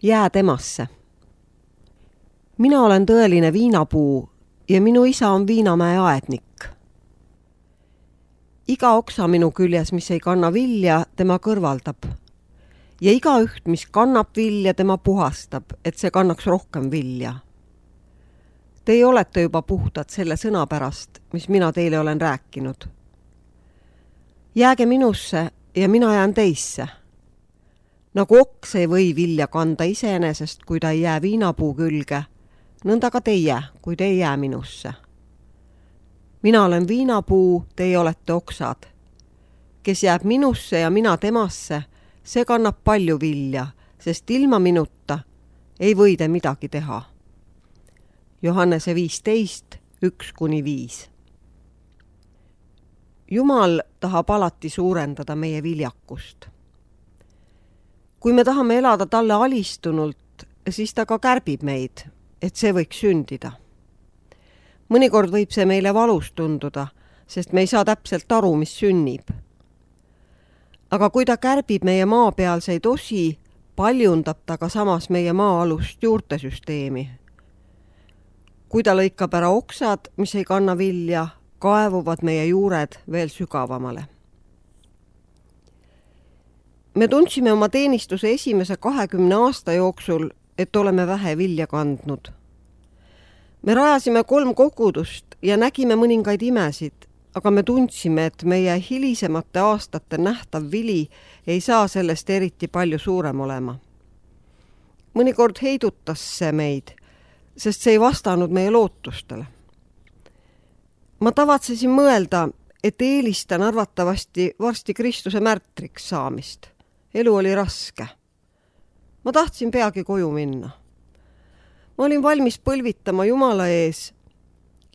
Jää temasse. Mina olen tõeline viinapuu ja minu isa on Viinamäe aednik. Iga oksa minu küljes, mis ei kanna vilja, tema kõrvaldab. Ja igaüht, mis kannab vilja, tema puhastab, et see kannaks rohkem vilja. Teie olete juba puhtad selle sõna pärast, mis mina teile olen rääkinud. Jääge minusse ja mina jään teisse. Nagu oks ei või vilja kanda iseenesest, kui ta ei jää viinapuu külge, nõnda ka teie, kui te ei jää minusse. Mina olen viinapuu, teie olete oksad. Kes jääb minusse ja mina temasse, see kannab palju vilja, sest ilma minuta ei või te midagi teha. Johannese 15, 1-5. Jumal tahab alati suurendada meie viljakust. Kui me tahame elada talle alistunult, siis ta ka kärbib meid, et see võiks sündida. Mõnikord võib see meile valus tunduda, sest me ei saa täpselt aru, mis sünnib. Aga kui ta kärbib meie maapealseid osi, paljundab ta ka samas meie maa-alust juurtesüsteemi. Kui ta lõikab ära oksad, mis ei kanna vilja, kaevuvad meie juured veel sügavamale. Me tundsime oma teenistuse esimese 20 aasta jooksul, et oleme vähe vilja kandnud. Me rajasime 3 kogudust ja nägime mõningaid imesid, aga me tundsime, et meie hilisemate aastate nähtav vili ei saa sellest eriti palju suurem olema. Mõnikord heidutas see meid, sest see ei vastanud meie lootustele. Ma tavatsesin mõelda, et eelistan arvatavasti varsti Kristuse märtriks saamist. Elu oli raske. Ma tahtsin peagi koju minna. Ma olin valmis põlvitama Jumala ees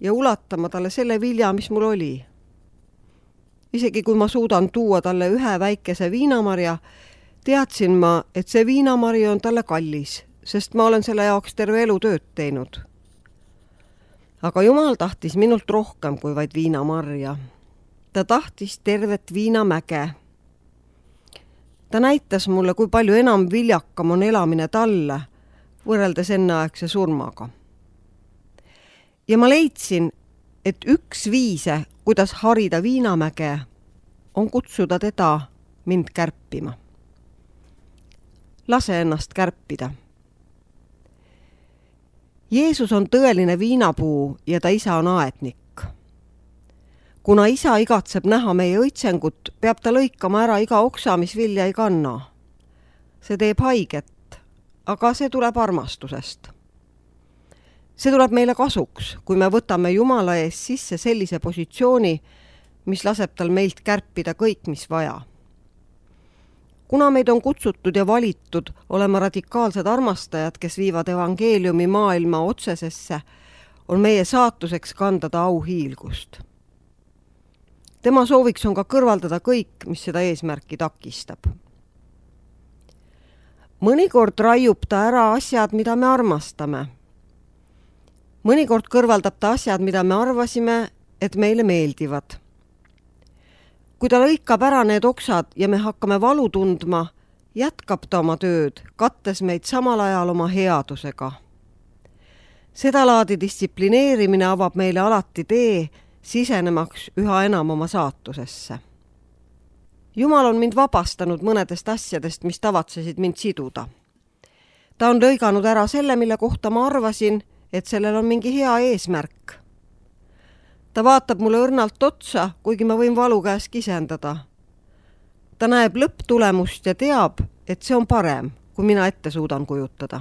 ja ulatama talle selle vilja, mis mul oli. Isegi kui ma suudan tuua talle ühe väikese viinamarja, teadsin ma, et see viinamari on talle kallis, sest ma olen selle jaoks terve elu tööd teinud. Aga Jumal tahtis minult rohkem kui vaid viinamarja. Ta tahtis tervet viinamäge. Ta näitas mulle, kui palju enam viljakam on elamine talle, võrreldes enneaegse surmaga. Ja ma leidsin, et üks viise, kuidas harida viinamäge, on kutsuda teda mind kärpima. Lase ennast kärpida. Jeesus on tõeline viinapuu ja ta isa on aednik. Kuna isa igatseb näha meie õitsengut, peab ta lõikama ära iga oksa, mis vilja ei kanna. See teeb haiget, aga see tuleb armastusest. See tuleb meile kasuks, kui me võtame Jumala ees sisse sellise positsiooni, mis laseb tal meilt kärpida kõik, mis vaja. Kuna meid on kutsutud ja valitud olema radikaalsed armastajad, kes viivad evangeeliumi maailma otsesesse, on meie saatuseks kanda ta auhiilgust. Tema sooviks on ka kõrvaldada kõik, mis seda eesmärki takistab. Mõnikord raiub ta ära asjad, mida me armastame. Mõnikord kõrvaldab ta asjad, mida me arvasime, et meile meeldivad. Kui ta lõikab ära need oksad ja me hakkame valu tundma, jätkab ta oma tööd, kattes meid samal ajal oma headusega. Seda laadi distsiplineerimine avab meile alati tee, sisenemaks üha enam oma saatusesse. Jumal on mind vabastanud mõnedest asjadest, mis tavatsesid mind siduda. Ta on lõiganud ära selle, mille kohta ma arvasin, et sellel on mingi hea eesmärk. Ta vaatab mulle õrnalt otsa, kuigi ma võin valu käes kisendada. Ta näeb lõpptulemust ja teab, et see on parem, kui mina ette suudan kujutada.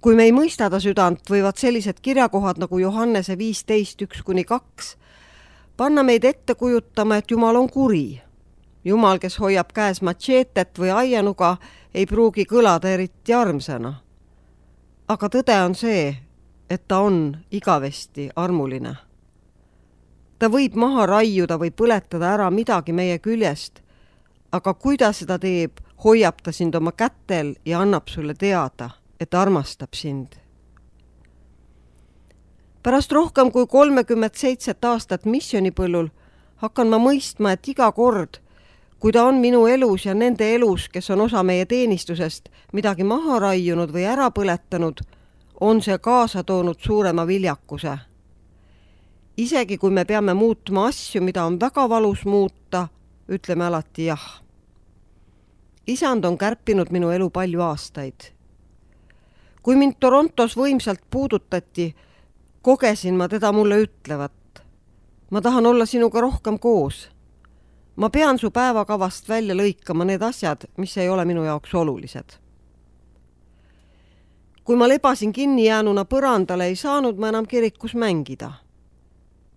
Kui me ei mõista ta südant, võivad sellised kirjakohad nagu Johannese 15, 1-2 panna meid ette kujutama, et Jumal on kuri. Jumal, kes hoiab käes matšeetet või aianuga, ei pruugi kõlada eriti armsana. Aga tõde on see, et ta on igavesti armuline. Ta võib maha raiuda või põletada ära midagi meie küljest, aga kui ta seda teeb, hoiab ta sind oma kätel ja annab sulle teada, et armastab sind. Pärast rohkem kui 37 aastat missionipõllul hakkan ma mõistma, et iga kord, Kui ta on minu elus ja nende elus, kes on osa meie teenistusest, midagi maha raiunud või ära põletanud, on see kaasa toonud suurema viljakuse. Isegi kui me peame muutma asju, mida on väga valus muuta, ütleme alati jah. Isand on kärpinud minu elu palju aastaid. Kui mind Torontos võimsalt puudutati, kogesin ma teda mulle ütlevat. Ma tahan olla sinuga rohkem koos. Ma pean su päevakavast välja lõikama need asjad, mis ei ole minu jaoks olulised. Kui ma lebasin kinni jäänuna põrandale, ei saanud ma enam kirikus mängida.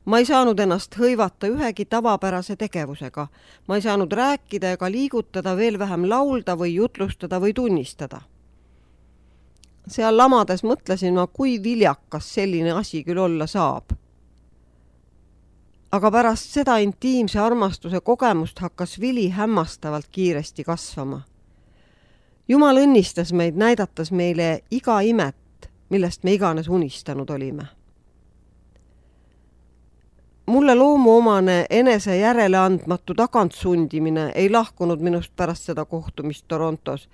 Ma ei saanud ennast hõivata ühegi tavapärase tegevusega. Ma ei saanud rääkida ega liigutada, veel vähem laulda või jutlustada või tunnistada. Seal lamades mõtlesin ma, kui viljakas selline asi küll olla saab. Aga pärast seda intiimse armastuse kogemust hakkas vili hämmastavalt kiiresti kasvama. Jumal õnnistas meid, näidates meile iga imet, millest me iganes unistanud olime. Mulle loomuomane enese järeleandmatu tagantsundimine ei lahkunud minust pärast seda kohtumist Torontos,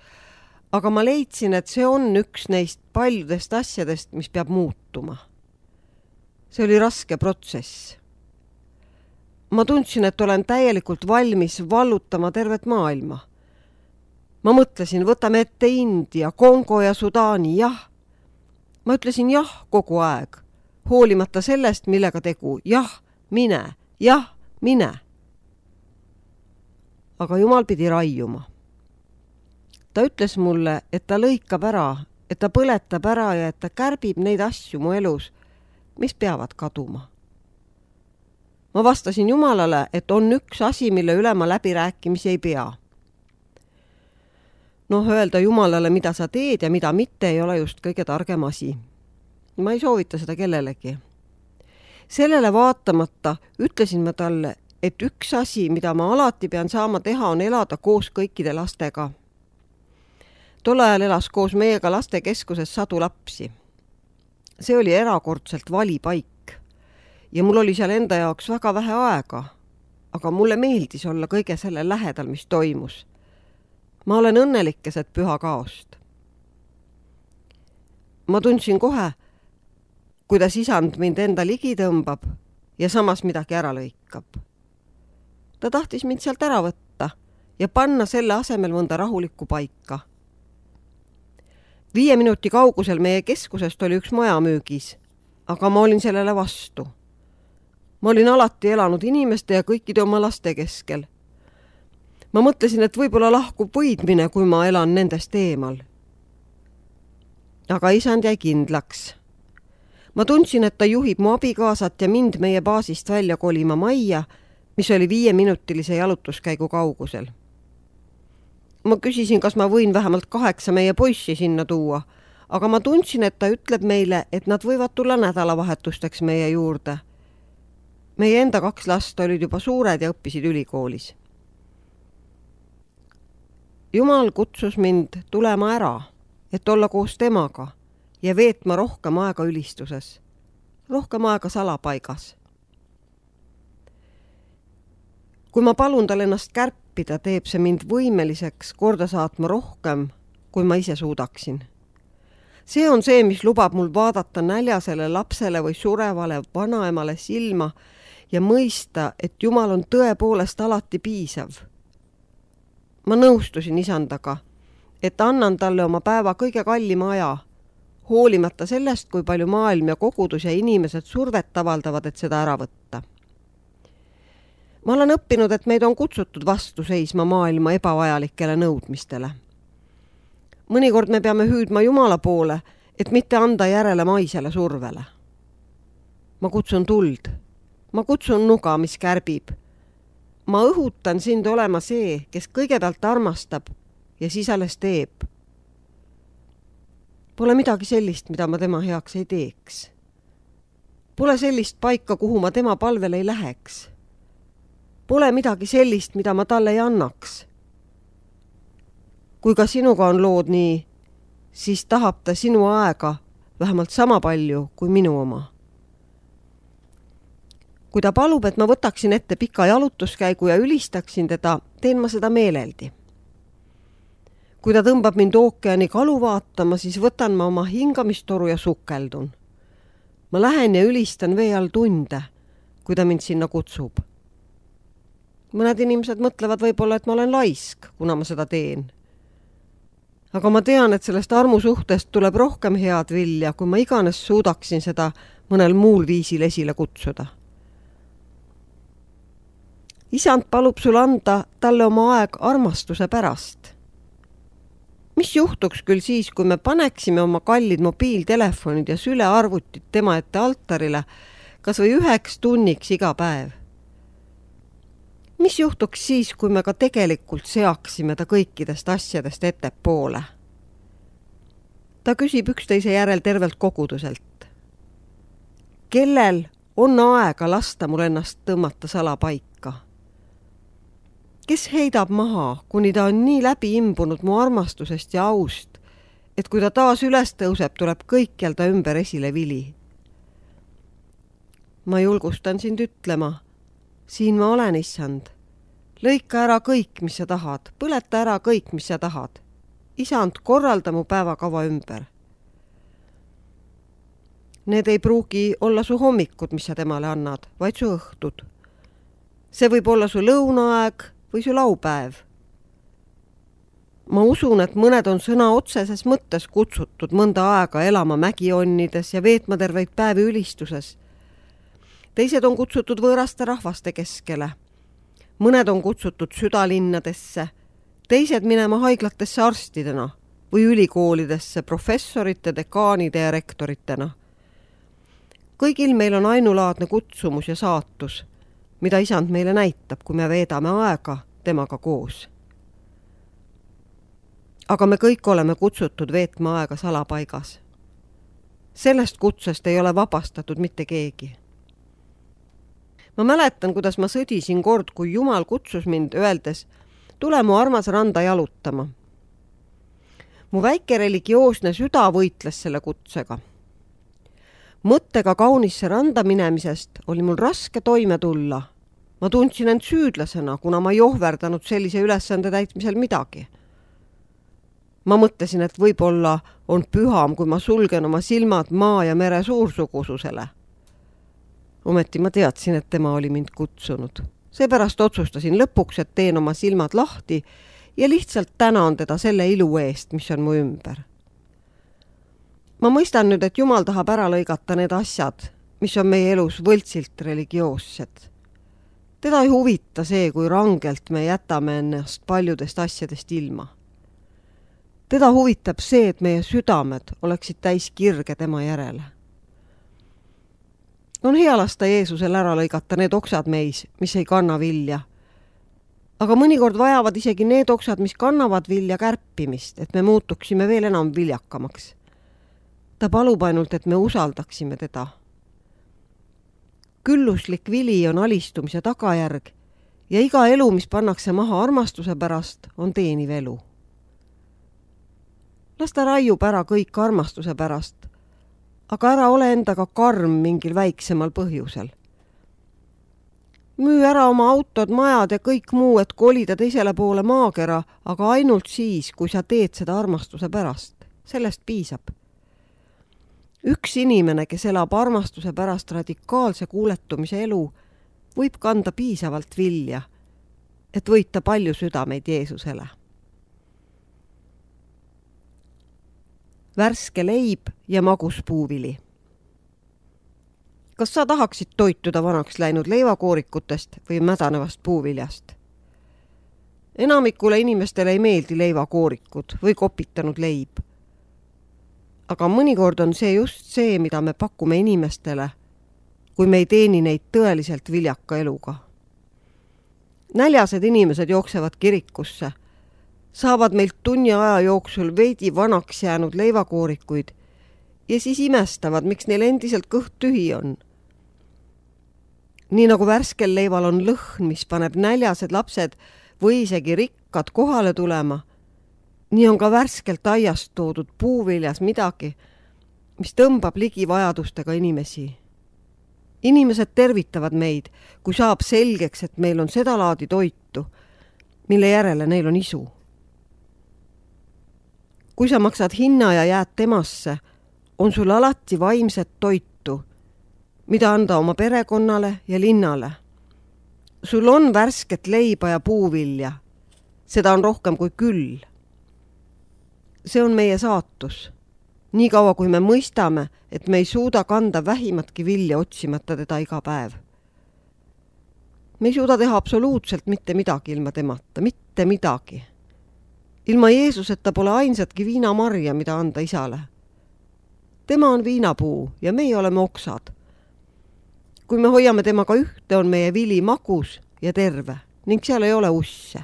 aga ma leidsin, et see on üks neist paljudest asjadest, mis peab muutuma. See oli raske protsess. Ma tundsin, et olen täielikult valmis vallutama tervet maailma. Ma mõtlesin, võtame ette India, Kongo ja Sudaani, jah. Ma ütlesin jah kogu aeg, hoolimata sellest, millega tegu, jah, mine, jah, mine. Aga Jumal pidi raiuma. Ta ütles mulle, et ta lõikab ära, et ta põletab ära ja et ta kärbib neid asju mu elus, mis peavad kaduma. Ma vastasin Jumalale, et on üks asi, mille üle ma läbirääkimisi ei pea. Öelda Jumalale, mida sa teed ja mida mitte, ei ole just kõige targem asi. Ma ei soovita seda kellelegi. Sellele vaatamata ütlesin ma talle, et üks asi, mida ma alati pean saama teha, on elada koos kõikide lastega. Tol ajal elas koos meiega lastekeskuses 100 lapsi. See oli erakordselt vali paik ja mul oli seal enda jaoks väga vähe aega, aga mulle meeldis olla kõige selle lähedal, mis toimus. Ma olen õnnelik keset püha kaost. Ma tundsin kohe, kuidas isand mind enda ligi tõmbab ja samas midagi ära lõikab. Ta tahtis mind sealt ära võtta ja panna selle asemel mõnda rahulikku paika. 5 minuti kaugusel meie keskusest oli üks maja müügis, aga ma olin sellele vastu. Ma olin alati elanud inimeste ja kõikide oma laste keskel. Ma mõtlesin, et võib-olla lahkub võidmine, kui ma elan nendest eemal. Aga isand jäi kindlaks. Ma tundsin, et ta juhib mu abikaasat ja mind meie baasist välja kolima majja, mis oli 5-minutilise jalutuskäigu kaugusel. Ma küsisin, kas ma võin vähemalt 8 meie poissi sinna tuua, aga ma tundsin, et ta ütleb meile, et nad võivad tulla nädalavahetusteks meie juurde. Meie enda 2 last olid juba suured ja õppisid ülikoolis. Jumal kutsus mind tulema ära, et olla koos temaga ja veetma rohkem aega ülistuses, rohkem aega salapaigas. Kui ma palun tal ennast kärpida, teeb see mind võimeliseks korda saatma rohkem, kui ma ise suudaksin. See on see, mis lubab mul vaadata näljasele lapsele või surevale vanaemale silma ja mõista, et Jumal on tõepoolest alati piisav. Ma nõustusin isandaga, et annan talle oma päeva kõige kallima aja, hoolimata sellest, kui palju maailm ja kogudus ja inimesed survet avaldavad, et seda ära võtta. Ma olen õppinud, et meid on kutsutud vastu seisma maailma ebavajalikele nõudmistele. Mõnikord me peame hüüdma Jumala poole, et mitte anda järele maisele survele. Ma kutsun tuld. Ma kutsun nuga, mis kärbib. Ma õhutan sind olema see, kes kõigepealt armastab ja siis alles teeb. Pole midagi sellist, mida ma tema heaks ei teeks. Pole sellist paika, kuhu ma tema palvel ei läheks. Pole midagi sellist, mida ma talle ei annaks. Kui ka sinuga on lood nii, siis tahab ta sinu aega vähemalt sama palju kui minu oma. Kui ta palub, et ma võtaksin ette pika jalutuskäigu ja ülistaksin teda, teen ma seda meeleldi. Kui ta tõmbab mind ookeani kalu vaatama, siis võtan ma oma hingamistoru ja sukeldun. Ma lähen ja ülistan vee all tunde, kui ta mind sinna kutsub. Mõned inimesed mõtlevad võib-olla, et ma olen laisk, kuna ma seda teen. Aga ma tean, et sellest armusuhtest tuleb rohkem head vilja, kui ma iganes suudaksin seda mõnel muul viisil esile kutsuda. Isand palub sul anda talle oma aeg armastuse pärast. Mis juhtuks küll siis, kui me paneksime oma kallid mobiiltelefonid ja sülearvutit tema ette altarile kas või 1 tunniks iga päev? Mis juhtuks siis, kui me ka tegelikult seaksime ta kõikidest asjadest ettepoole? Ta küsib üksteise järel tervelt koguduselt. Kellel on aega lasta mul ennast tõmmata salapaika? Kes heidab maha, kuni ta on nii läbi imbunud mu armastusest ja aust, et kui ta taas üles tõuseb, tuleb kõikjal ta ümber esile vili? Ma julgustan sind ütlema, siin ma olen, Issand. Lõika ära kõik, mis sa tahad, põleta ära kõik, mis sa tahad. Isand, korralda mu päevakava ümber. Need ei pruugi olla su hommikud, mis sa temale annad, vaid su õhtud. See võib olla su lõunaaeg või su laupäev. Ma usun, et mõned on sõna otseses mõttes kutsutud mõnda aega elama mägionnides ja veetma terveid päevi ülistuses. Teised on kutsutud võõraste rahvaste keskele. Mõned on kutsutud südalinnadesse, teised minema haiglatesse arstidena või ülikoolidesse professorite, dekaanide ja rektoritena. Kõigil meil on ainulaadne kutsumus ja saatus, mida Isand meile näitab, kui me veedame aega temaga koos. Aga me kõik oleme kutsutud veetma aega salapaigas. Sellest kutsest ei ole vabastatud mitte keegi. Ma mäletan, kuidas ma sõdisin kord, kui Jumal kutsus mind öeldes, tule mu armas randa jalutama. Mu väike religioosne süda võitles selle kutsega. Mõttega kaunisse randa minemisest oli mul raske toime tulla. Ma tundsin end süüdlasena, kuna ma ei ohverdanud sellise ülesande täitmisel midagi. Ma mõtlesin, et võib-olla on püham, kui ma sulgen oma silmad maa ja mere suursugususele. Ometi ma teadsin, et tema oli mind kutsunud. Seepärast otsustasin lõpuks, et teen oma silmad lahti ja lihtsalt tänan teda selle ilu eest, mis on mu ümber. Ma mõistan nüüd, et Jumal tahab ära lõigata need asjad, mis on meie elus võltsilt religioossed. Teda ei huvita see, kui rangelt me jätame ennast paljudest asjadest ilma. Teda huvitab see, et meie südamed oleksid täis kirge tema järele. On hea lasta Jeesusel ära lõigata need oksad meis, mis ei kanna vilja. Aga mõnikord vajavad isegi need oksad, mis kannavad vilja kärpimist, et me muutuksime veel enam viljakamaks. Ta palub ainult, et me usaldaksime teda. Külluslik vili on alistumise tagajärg ja iga elu, mis pannakse maha armastuse pärast, on teeniv elu. Las ta raiub ära kõik armastuse pärast, aga ära ole endaga karm mingil väiksemal põhjusel. Müü ära oma autod, majad ja kõik muu, et kolida teisele poole maakera, aga ainult siis, kui sa teed seda armastuse pärast. Sellest piisab. Üks inimene, kes elab armastuse pärast radikaalse kuuletumise elu, võib kanda piisavalt vilja, et võita palju südameid Jeesusele. Värske leib ja magus puuvili. Kas sa tahaksid toituda vanaks läinud leivakoorikutest või mädanevast puuviljast? Enamikule inimestele ei meeldi leivakoorikud või kopitanud leib. Aga mõnikord on see just see, mida me pakume inimestele, kui me ei teeni neid tõeliselt viljaka eluga. Näljased inimesed jooksevad kirikusse, saavad meilt tunni aja jooksul veidi vanaks jäänud leivakoorikuid ja siis imestavad, miks neil endiselt kõht tühi on. Nii nagu värskel leival on lõhn, mis paneb näljased lapsed või isegi rikkad kohale tulema, nii on ka värskelt aiast toodud puuviljas midagi, mis tõmbab ligi vajadustega inimesi. Inimesed tervitavad meid, kui saab selgeks, et meil on seda laadi toitu, mille järele neil on isu. Kui sa maksad hinna ja jääd temasse, on sul alati vaimset toitu, mida anda oma perekonnale ja linnale. Sul on värsket leiba ja puuvilja. Seda on rohkem kui küll. See on meie saatus. Nii kaua, kui me mõistame, et me ei suuda kanda vähimatki vilja otsimata teda iga päev. Me ei suuda teha absoluutselt mitte midagi ilma temata, mitte midagi. Ilma Jeesuseta pole ainsatki viinamarja, mida anda isale. Tema on viinapuu ja meie oleme oksad. Kui me hoiame temaga ühte, on meie vili magus ja terve ning seal ei ole usse.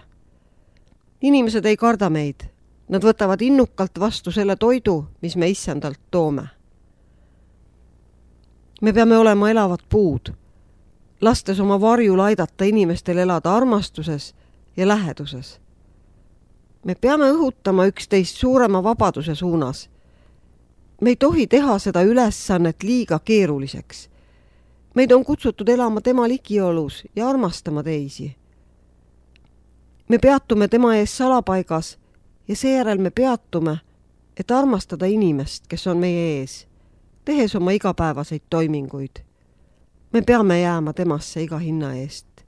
Inimesed ei karda meid. Nad võtavad innukalt vastu selle toidu, mis me issandalt toome. Me peame olema elavad puud, lastes oma varjul aidata inimestel elada armastuses ja läheduses. Me peame õhutama üksteist suurema vabaduse suunas. Me ei tohi teha seda ülesannet liiga keeruliseks. Meid on kutsutud elama tema ligiolus ja armastama teisi. Me peatume tema ees salapaigas ja seejärel me peatume, et armastada inimest, kes on meie ees, tehes oma igapäevaseid toiminguid. Me peame jääma temasse iga hinna eest.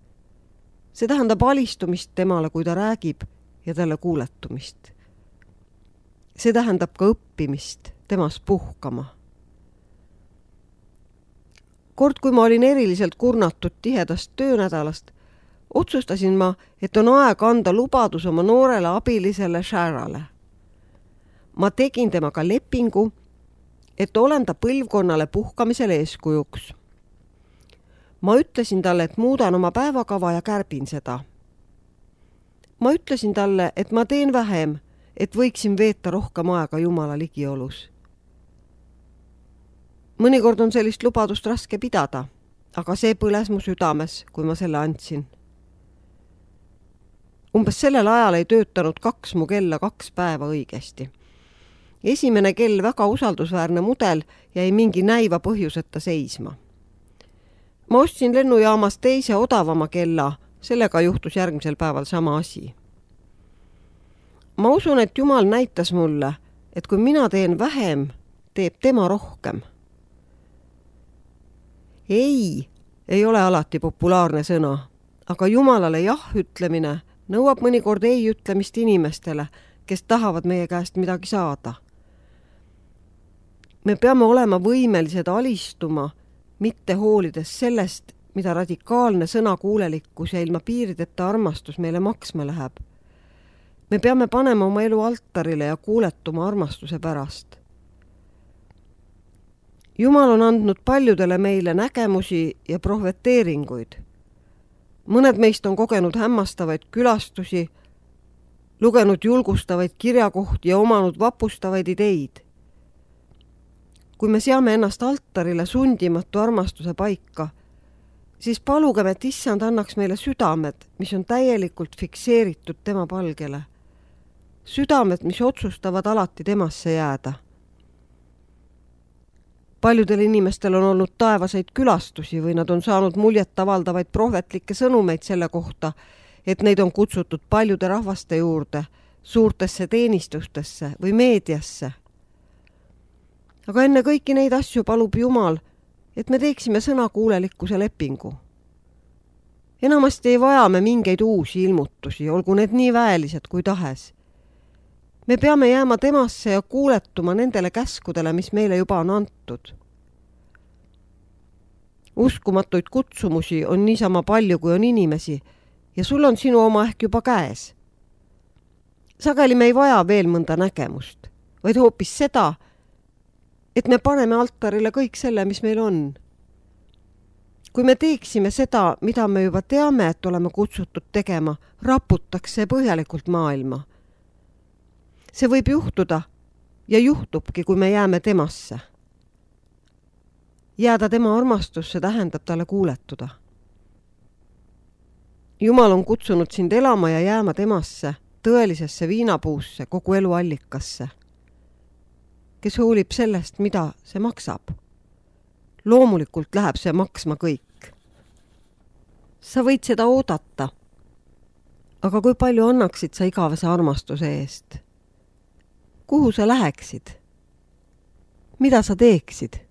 See tähendab alistumist temale, kui ta räägib ja talle kuuletumist. See tähendab ka õppimist temas puhkama. Kord, kui ma olin eriliselt kurnatud tihedast töönädalast, otsustasin ma, et on aeg anda lubadus oma noorele abilisele Sharale. Ma tegin temaga lepingu, et olen ta põlvkonnale puhkamisel eeskujuks. Ma ütlesin talle, et muudan oma päevakava ja kärbin seda. Ma ütlesin talle, et ma teen vähem, et võiksin veeta rohkem aega Jumala ligiolus. Mõnikord on sellist lubadust raske pidada, aga see põles mu südames, kui ma selle andsin. Umbes sellel ajal ei töötanud 2 mu kella 2 päeva õigesti. Esimene kell, väga usaldusväärne mudel, jäi mingi näiva põhjuseta seisma. Ma ostsin lennujaamas teise odavama kella, sellega juhtus järgmisel päeval sama asi. Ma usun, et Jumal näitas mulle, et kui mina teen vähem, teeb tema rohkem. Ei ole alati populaarne sõna, aga Jumalale jah ütlemine nõuab mõnikord ei ütlemist inimestele, kes tahavad meie käest midagi saada. Me peame olema võimelised alistuma, mitte hoolides sellest, mida radikaalne sõnakuulelikkus ja ilma piirideta armastus meile maksma läheb. Me peame panema oma elu altarile ja kuuletuma armastuse pärast. Jumal on andnud paljudele meile nägemusi ja prohveteeringuid. Mõned meist on kogenud hämmastavaid külastusi, lugenud julgustavaid kirjakohti ja omanud vapustavaid ideid. Kui me seame ennast altarile sundimatu armastuse paika, siis palugem, et issand annaks meile südamed, mis on täielikult fikseeritud tema palgele. Südamed, mis otsustavad alati temasse jääda. Paljudel inimestel on olnud taevaseid külastusi või nad on saanud muljet avaldavaid prohvetlikke sõnumeid selle kohta, et neid on kutsutud paljude rahvaste juurde, suurtesse teenistustesse või meediasse. Aga enne kõiki neid asju palub Jumal, et me teeksime sõnakuulelikkuse lepingu. Enamasti ei vaja me mingeid uusi ilmutusi, olgu need nii väelised kui tahes. Me peame jääma temasse ja kuuletuma nendele käskudele, mis meile juba on antud. Uskumatuid kutsumusi on niisama palju, kui on inimesi ja sul on sinu oma ehk juba käes. Sageli me ei vaja veel mõnda nägemust, vaid hoopis seda, et me paneme altarile kõik selle, mis meil on. Kui me teeksime seda, mida me juba teame, et oleme kutsutud tegema, raputaks see põhjalikult maailma. See võib juhtuda ja juhtubki, kui me jääme temasse. Jääda tema armastusse tähendab talle kuuletuda. Jumal on kutsunud sind elama ja jääma temasse, tõelisesse viinapuusse, kogu elu allikasse, kes hoolib sellest, mida see maksab. loomulikult läheb see maksma kõik. Sa võid seda oodata. Aga kui palju annaksid sa igavese armastuse eest? Kuhu sa läheksid? Mida sa teeksid?